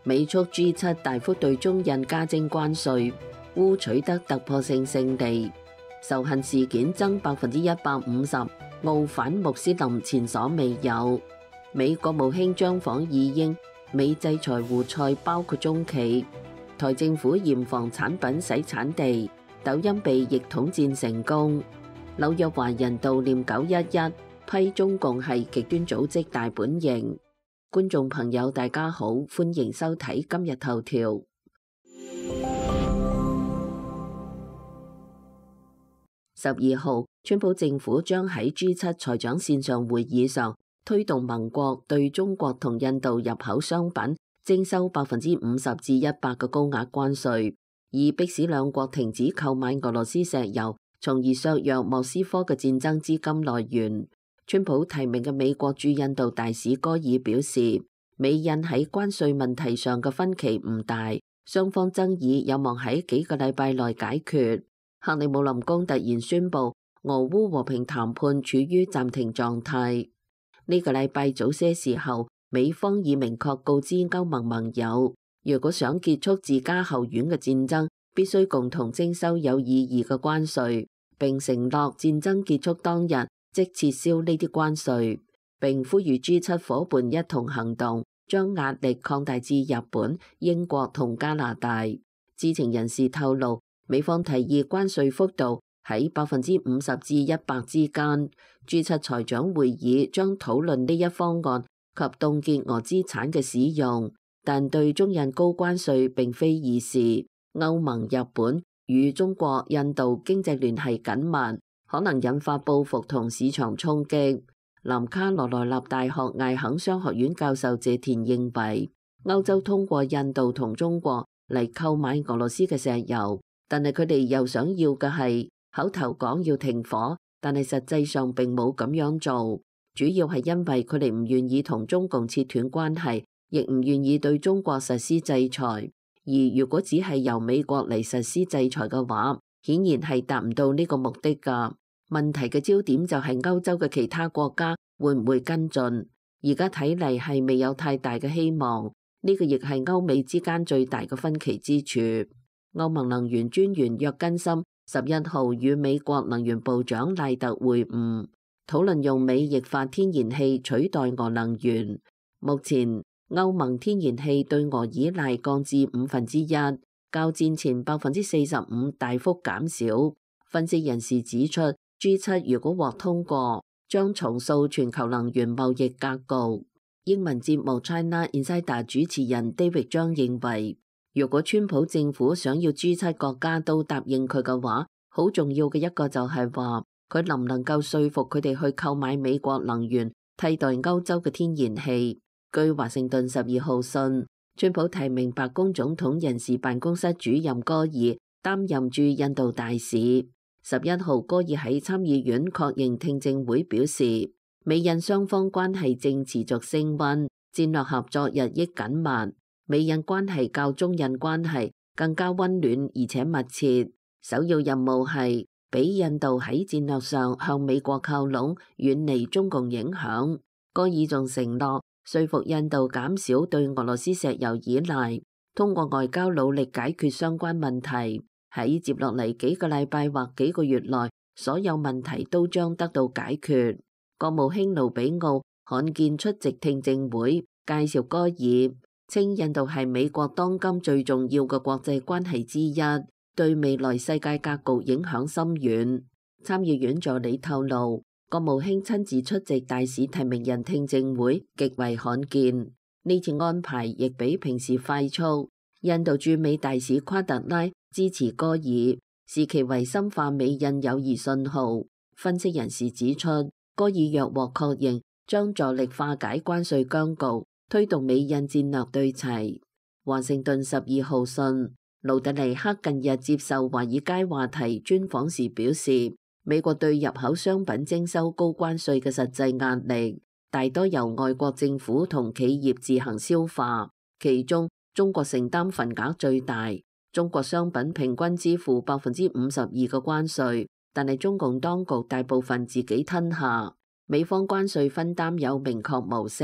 美促 G7 大幅對中印加徵關稅，烏取得突破性勝利，仇恨事件增150%，澳反穆斯林前所未有。美國務卿將訪意英，美制裁胡塞包括中企。台政府嚴防產品洗產地，抖音被逆統戰成功。紐約華人悼念911，批中共係極端組織大本營。觀眾朋友大家好，歡迎收睇今日頭條。12號，川普政府將喺 G7 財長線上會議上推動盟國對中國同印度入口商品徵收50%至100%嘅高額關稅，以迫使兩國停止購買俄羅斯石油，從而削弱莫斯科嘅戰爭資金來源。川普提名嘅美國駐印度大使戈爾表示，美印喺關稅問題上嘅分歧唔大，雙方爭議有望喺幾個禮拜內解決。克里姆林宮突然宣布，俄烏和平談判處於暫停狀態。呢個禮拜早些時候，美方已明確告知歐盟盟友，如果想結束自家後院嘅戰爭，必須共同徵收有意義嘅關稅，並承諾戰爭結束當日即撤銷呢啲關稅，並呼籲 G7 夥伴一同行動，將壓力擴大至日本、英國同加拿大。知情人士透露，美方提議關稅幅度喺50%至100%之間。G7 財長會議將討論呢一方案及凍結俄資產嘅使用，但對中印高關稅並非易事。歐盟、日本與中國、印度經濟聯繫緊密，可能引發報復同市場衝擊。南卡羅來納大學艾肯商學院教授謝田認為，歐洲通過印度同中國嚟購買俄羅斯嘅石油，但係佢哋又想要嘅係口頭講要停火，但係實際上並冇咁樣做，主要係因為佢哋唔願意同中共切斷關係，亦唔願意對中國實施制裁。而如果只係由美國嚟實施制裁嘅話，顯然係達唔到呢個目的㗎。問題嘅焦點就係歐洲嘅其他國家會唔會跟進？而家睇嚟係未有太大嘅希望。呢個亦係歐美之間最大嘅分歧之處。歐盟能源專員約根森11號與美國能源部長賴特會晤，討論用美液化天然氣取代俄能源。目前歐盟天然氣對俄依賴降至1/5，較戰前45%大幅減少。分析人士指出， G7 如果獲通過，將重塑全球能源貿易格局。英文節目 China Insider 主持人 David 張認為，如果川普政府想要 G7 國家都答應佢嘅話，好重要嘅一個就係話，佢能唔能夠說服佢哋去購買美國能源替代歐洲嘅天然氣。據華盛頓12號信，川普提名白宮總統人事辦公室主任戈爾擔任駐印度大使。11號，戈爾喺參議院確認聽證會表示，美印雙方關係正持續升溫，戰略合作日益緊密。美印關係較中印關係更加溫暖而且密切。首要任務係俾印度喺戰略上向美國靠攏，遠離中共影響。戈爾仲承諾說服印度減少對俄羅斯石油依賴，通過外交努力解決相關問題。喺接落嚟幾個禮拜或幾個月內，所有問題都將得到解決。國務卿盧比奧罕見出席聽證會，介紹戈爾，稱印度係美國當今最重要嘅國際關係之一，對未來世界格局影響深遠。參議院助理透露，國務卿親自出席大使提名人聽證會極為罕見，呢次安排亦比平時快速。印度駐美大使夸特拉支持戈爾，視其為深化美印友誼信號。分析人士指出，戈爾若獲確認，將助力化解關稅僵局，推動美印戰略對齊。華盛頓12號信，盧特尼克近日接受華爾街話題專訪時表示，美國對入口商品徵收高關稅嘅實際壓力，大多由外國政府同企業自行消化，其中中國承擔份額最大。中國商品平均支付52%嘅關稅，但係中共當局大部分自己吞下。美方關稅分擔有明確模式，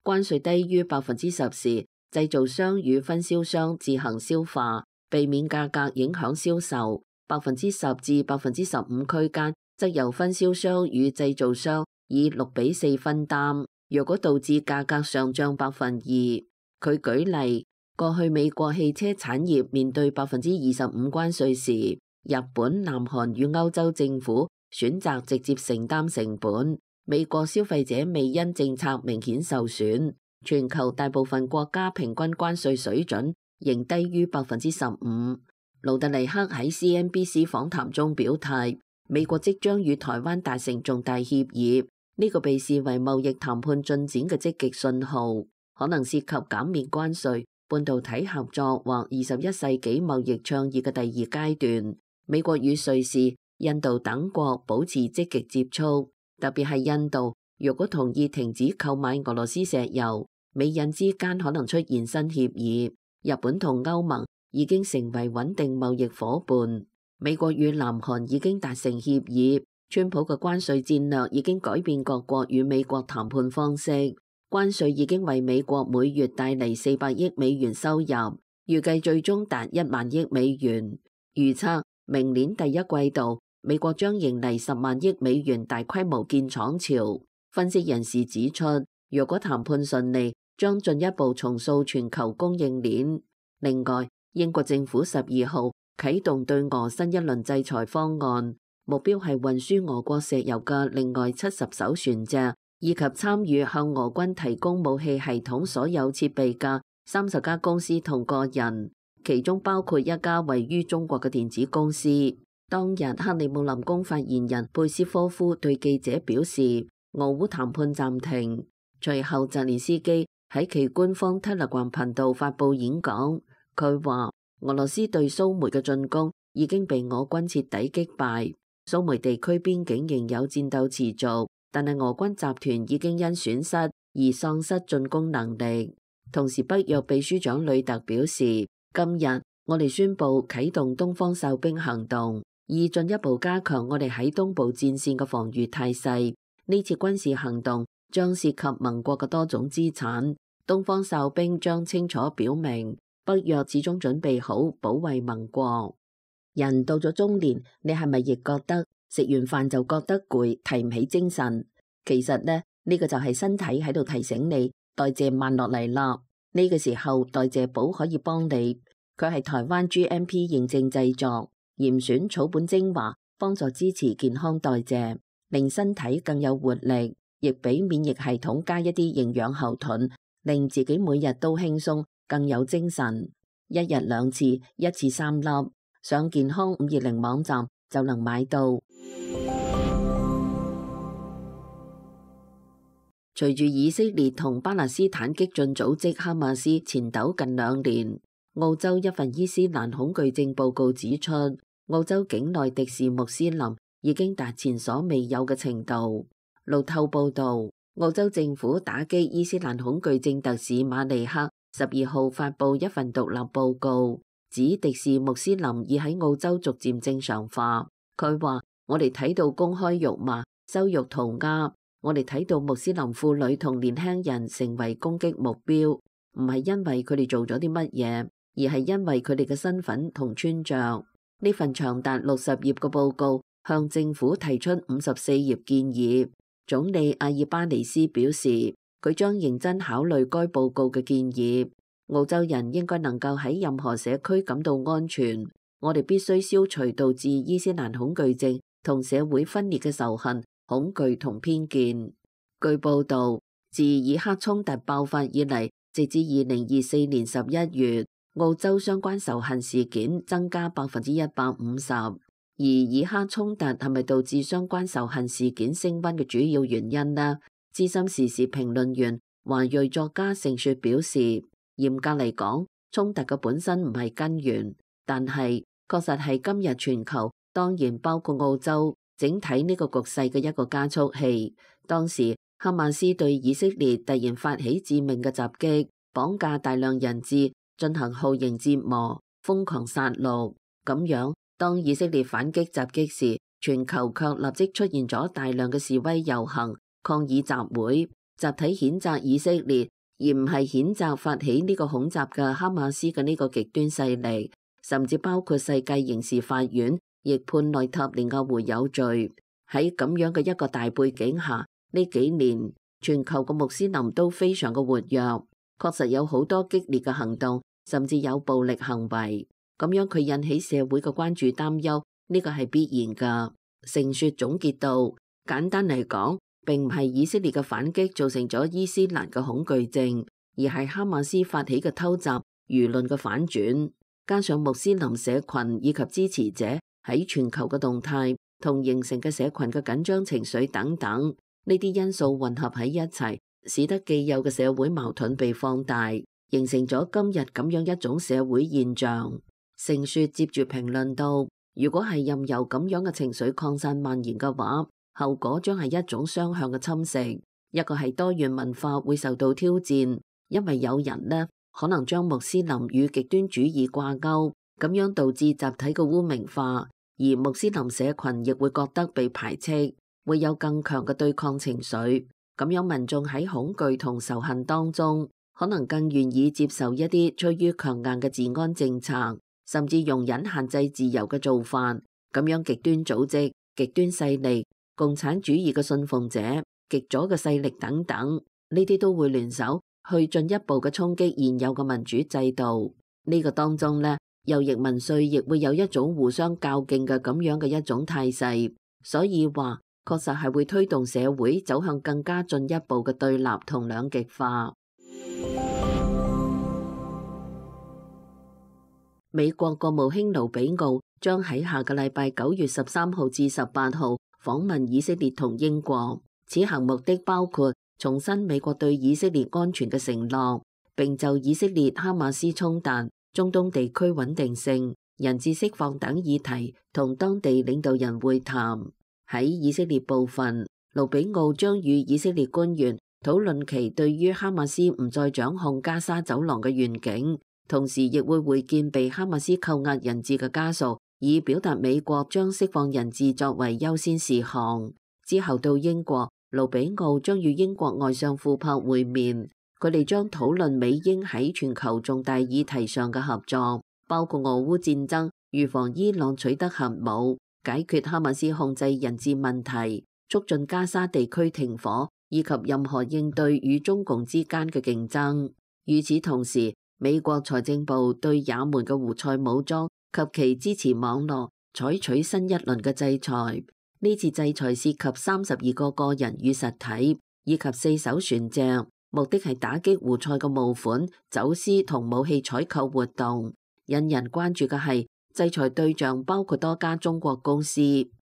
關稅低於10%時，製造商與分銷商自行消化，避免價格影響銷售。10%至15%區間，則由分銷商與製造商以6:4分擔。若果導致價格上漲2%，佢舉例，過去美國汽車產業面對25%關稅時，日本、南韓與歐洲政府選擇直接承擔成本。美國消費者未因政策明顯受損。全球大部分國家平均關稅水準仍低於15%。盧特尼克喺 CNBC 訪談中表態，美國即將與台灣達成重大協議，呢個被視為貿易談判進展嘅積極信號，可能涉及減免關稅、半導體合作或21世紀貿易倡議嘅第二階段。美國與瑞士、印度等國保持積極接觸，特別係印度，若果同意停止購買俄羅斯石油，美印之間可能出現新協議。日本同歐盟已經成為穩定貿易夥伴。美國與南韓已經達成協議。川普嘅關稅戰略已經改變各國與美國談判方式。關稅已經為美國每月帶嚟400億美元收入，預計最終達1萬億美元。預測明年第一季度，美國將迎嚟10萬億美元大規模建廠潮。分析人士指出，若果談判順利，將進一步重塑全球供應鏈。另外，英國政府12號啟動對俄新一輪制裁方案，目標係運輸俄國石油嘅另外70艘船隻，以及參與向俄軍提供武器系統所有設備嘅30家公司同個人，其中包括一家位於中國嘅電子公司。當日，克里姆林宮發言人佩斯科夫對記者表示，俄烏談判暫停。隨後，澤連斯基喺其官方 Telegram 頻道發佈演講，佢話俄羅斯對蘇梅嘅進攻已經被俄軍徹底擊敗，蘇梅地區邊境仍有戰鬥持續，但係俄軍集團已經因損失而喪失進攻能力。同時，北約秘書長呂特表示，今日我哋宣布啟動東方哨兵行動，以進一步加強我哋喺東部戰線嘅防禦態勢。呢次軍事行動將涉及盟國嘅多種資產，東方哨兵將清楚表明北約始終準備好保衛盟國。人到咗中年，你係咪亦覺得食完飯就覺得攰，提唔起精神？其實呢個就係身體喺度提醒你代謝慢落嚟啦。呢個時候代謝寶可以幫你，佢係台灣 GMP 認證製作，嚴選草本精華，幫助支持健康代謝，令身體更有活力。亦俾免疫系統加一啲營養後盾，令自己每日都輕鬆，更有精神。一日2次，一次3粒，上健康520網站就能買到。隨住以色列同巴勒斯坦激進組織哈馬斯纏鬥近2年，澳洲一份伊斯蘭恐懼症報告指出，澳洲境內敵視穆斯林已經達前所未有嘅程度。路透報道，澳洲政府打擊伊斯蘭恐懼症特使馬利克12號發佈一份獨立報告，指敵視穆斯林已喺澳洲逐漸正常化。佢話：我哋睇到公開辱罵、羞辱塗鴉，我哋睇到穆斯林婦女同年輕人成為攻擊目標，唔係因為佢哋做咗啲乜嘢，而係因為佢哋嘅身份同穿着。呢份長達60頁嘅報告向政府提出54頁建議。總理阿爾巴尼斯表示，佢將認真考慮該報告嘅建議。澳洲人應該能夠喺任何社區感到安全。我哋必須消除導致伊斯蘭恐懼症同社會分裂嘅仇恨、恐懼同偏見。據報道，自以哈衝突爆發以嚟，直至2024年11月，澳洲相關仇恨事件增加150%。而以哈衝突係咪導致相關仇恨事件升溫嘅主要原因呢？資深時事評論員華裔作家盛雪表示，嚴格嚟講，衝突嘅本身唔係根源，但係確實係今日全球，當然包括澳洲整體呢個局勢嘅一個加速器。當時哈馬斯對以色列突然發起致命嘅襲擊，綁架大量人質，進行酷刑折磨、瘋狂殺戮，咁樣。當以色列反擊襲擊時，全球卻立即出現咗大量嘅示威遊行、抗議集會，集體譴責以色列而唔係譴責發起呢個恐襲嘅哈馬斯嘅呢個極端勢力，甚至包括世界刑事法院亦判內塔尼亞胡有罪。喺咁樣嘅一個大背景下，呢幾年全球嘅穆斯林都非常嘅活躍，確實有好多激烈嘅行動，甚至有暴力行為。咁樣佢引起社會嘅關注擔憂，呢個係必然㗎。盛雪總結道，簡單嚟講，並唔係以色列嘅反擊造成咗伊斯蘭嘅恐懼症，而係哈馬斯發起嘅偷襲輿論嘅反轉，加上穆斯林社群以及支持者喺全球嘅動態同形成嘅社群嘅緊張情緒等等，呢啲因素混合喺一齊，使得既有嘅社會矛盾被放大，形成咗今日咁樣一種社會現象。盛雪接住評論道，如果係任由咁樣嘅情緒擴散蔓延嘅話，後果將係一種雙向嘅侵蝕。一個係多元文化會受到挑戰，因為有人呢可能將穆斯林與極端主義掛鈎，咁樣導致集體嘅污名化，而穆斯林社群亦會覺得被排斥，會有更強嘅對抗情緒。咁樣民眾喺恐懼同仇恨當中，可能更願意接受一啲趨於強硬嘅治安政策，甚至容忍限制自由嘅做法。咁樣極端組織、極端勢力、共產主義嘅信奉者、極左嘅勢力等等，呢啲都會聯手去進一步嘅衝擊現有嘅民主制度。呢個當中呢，右翼民粹亦會有一種互相較勁嘅咁樣嘅一種態勢，所以話確實係會推動社會走向更加進一步嘅對立同兩極化。美國國務卿盧比奧將喺下個禮拜9月13號至18號訪問以色列同英國，此行目的包括重申美國對以色列安全嘅承諾，並就以色列哈馬斯衝突、中東地區穩定性、人質釋放等議題同當地領導人會談。喺以色列部分，盧比奧將與以色列官員討論其對於哈馬斯唔再掌控加沙走廊嘅願景，同時亦會會見被哈馬斯扣押人質嘅家屬，以表達美國將釋放人質作為優先事項。之後到英國，盧比奧將與英國外相庫珀會面，佢哋將討論美英喺全球重大議題上嘅合作，包括俄烏戰爭、預防伊朗取得核武、解決哈馬斯控制人質問題、促進加沙地區停火，以及任何應對與中共之間嘅競爭。與此同時，美國財政部對也門嘅胡塞武裝及其支持網絡採取新一輪嘅制裁。呢次制裁涉及32個個人與實體，以及4艘船隻，目的係打擊胡塞嘅募款、走私同武器採購活動。引人關注嘅係，制裁對象包括多家中國公司。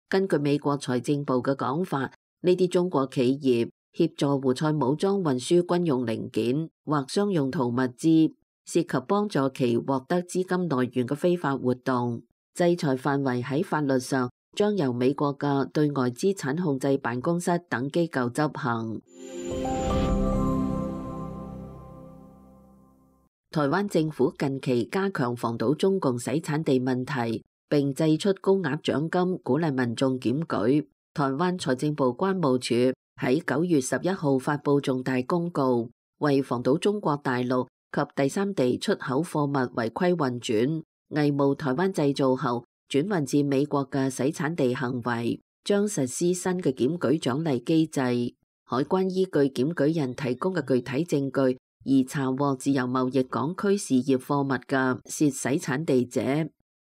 根據美國財政部嘅講法，呢啲中國企業協助胡塞武裝運輸軍用零件或商用途物資，涉及幫助其獲得資金來源嘅非法活動。制裁範圍喺法律上將由美國嘅對外資產控制辦公室等機構執行。台灣政府近期加強防堵中共洗產地問題，並祭出高額獎金鼓勵民眾檢舉。台灣財政部關務署喺9月11號發布重大公告，為防堵中國大陸及第三地出口貨物違規運轉、偽冒台灣製造後轉運至美國嘅洗產地行為，將實施新嘅檢舉獎勵機制。海關依據檢舉人提供嘅具體證據，而查獲自由貿易港區事業貨物嘅涉洗產地者，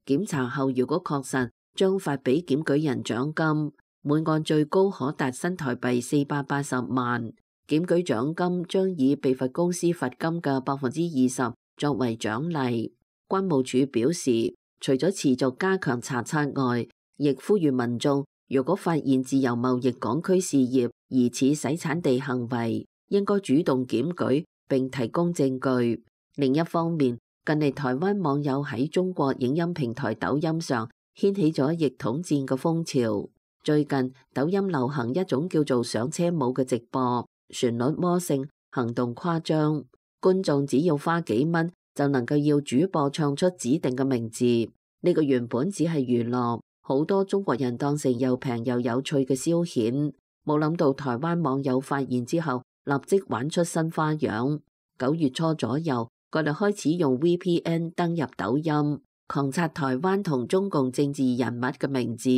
檢查後如果確實，將發俾檢舉人獎金，每案最高可達新台幣480萬。檢舉獎金將以被罰公司罰金嘅20%作為獎勵。關務署表示，除咗持續加強查冊外，亦呼籲民眾如果發現自由貿易港區事業疑似洗產地行為，應該主動檢舉並提供證據。另一方面，近嚟台灣網友喺中國影音平台抖音上掀起咗逆統戰嘅風潮。最近抖音流行一種叫做上車舞嘅直播，旋律魔性，行動誇張，觀眾只要花幾蚊就能夠要主播唱出指定嘅名字。呢個原本只係娛樂，好多中國人當成又平又有趣嘅消遣，冇諗到台灣網友發現之後，立即玩出新花樣。9月初左右，佢哋開始用 VPN 登入抖音，狂刷台灣同中共政治人物嘅名字，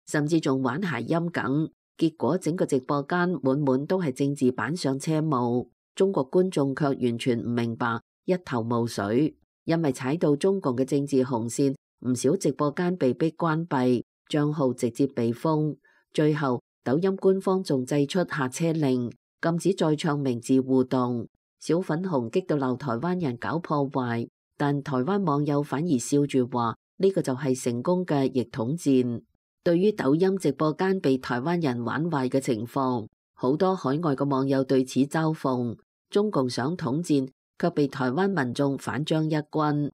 甚至仲玩諧音梗。結果整個直播間滿都係政治版上車務，中國觀眾卻完全唔明白，一頭霧水。因為踩到中共嘅政治紅線，唔少直播間被逼關閉，賬號直接被封。最後抖音官方仲祭出下車令，禁止再唱名字互動。小粉紅激到鬧台灣人搞破壞，但台灣網友反而笑住話呢個就係成功嘅逆統戰。對於抖音直播間被台灣人玩壞嘅情況，好多海外嘅網友對此嘲諷，中共想統戰，卻被台灣民眾反將一軍。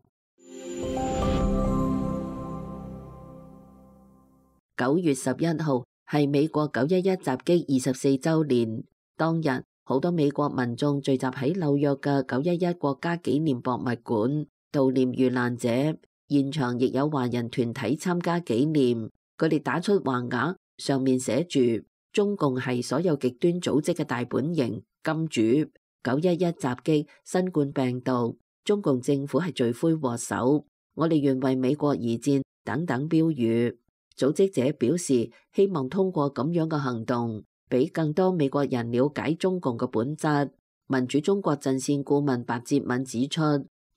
9月11號係美國911襲擊24週年，當日好多美國民眾聚集喺紐約嘅911國家紀念博物館悼念遇難者，現場亦有華人團體參加紀念。佢哋打出橫額，上面寫住中共係所有極端組織嘅大本營金主，911襲擊新冠病毒，中共政府係罪魁禍首，我哋願為美國而戰等等標語。組織者表示，希望通過咁樣嘅行動，俾更多美國人了解中共嘅本質。民主中國陣線顧問白哲敏指出，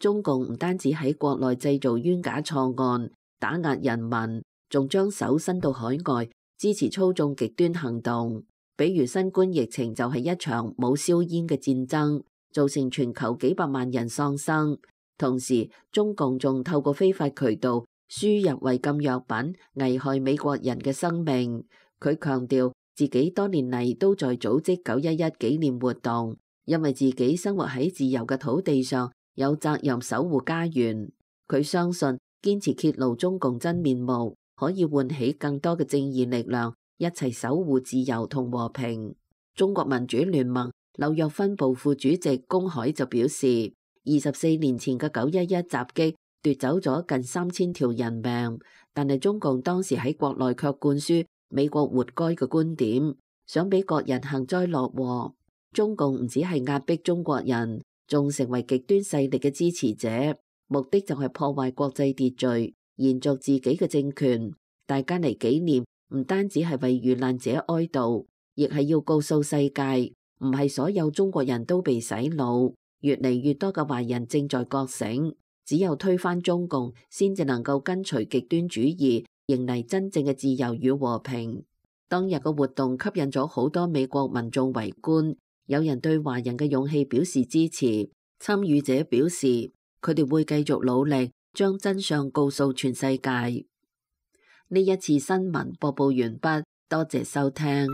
中共唔單止喺國內製造冤假錯案，打壓人民，仲將手伸到海外，支持操縱極端行動。比如新冠疫情就係一場冇硝煙嘅戰爭，造成全球幾百萬人喪生。同時，中共仲透過非法渠道輸入違禁藥品，危害美國人嘅生命。佢強調自己多年嚟都在組織911紀念活動，因為自己生活喺自由嘅土地上，有責任守護家園。佢相信堅持揭露中共真面目，可以喚起更多嘅正義力量，一齊守護自由同和平。中國民主聯盟紐約分部副主席龔海就表示，24年前嘅911襲擊奪走咗近3000條人命，但係中共當時喺國內卻灌輸美國活該嘅觀點，想俾國人幸災樂禍。中共唔只係壓迫中國人，仲成為極端勢力嘅支持者，目的就係破壞國際秩序，延續自己嘅政權。大家嚟紀念，唔單止係為遇難者哀悼，亦係要告訴世界，唔係所有中國人都被洗腦，越嚟越多嘅華人正在覺醒。只有推翻中共，先至能夠根除極端主義，迎嚟真正嘅自由與和平。當日嘅活動吸引咗好多美國民眾圍觀，有人對華人嘅勇氣表示支持。參與者表示，佢哋會繼續努力，將真相告訴全世界。呢一次新聞播報完畢，多謝收聽。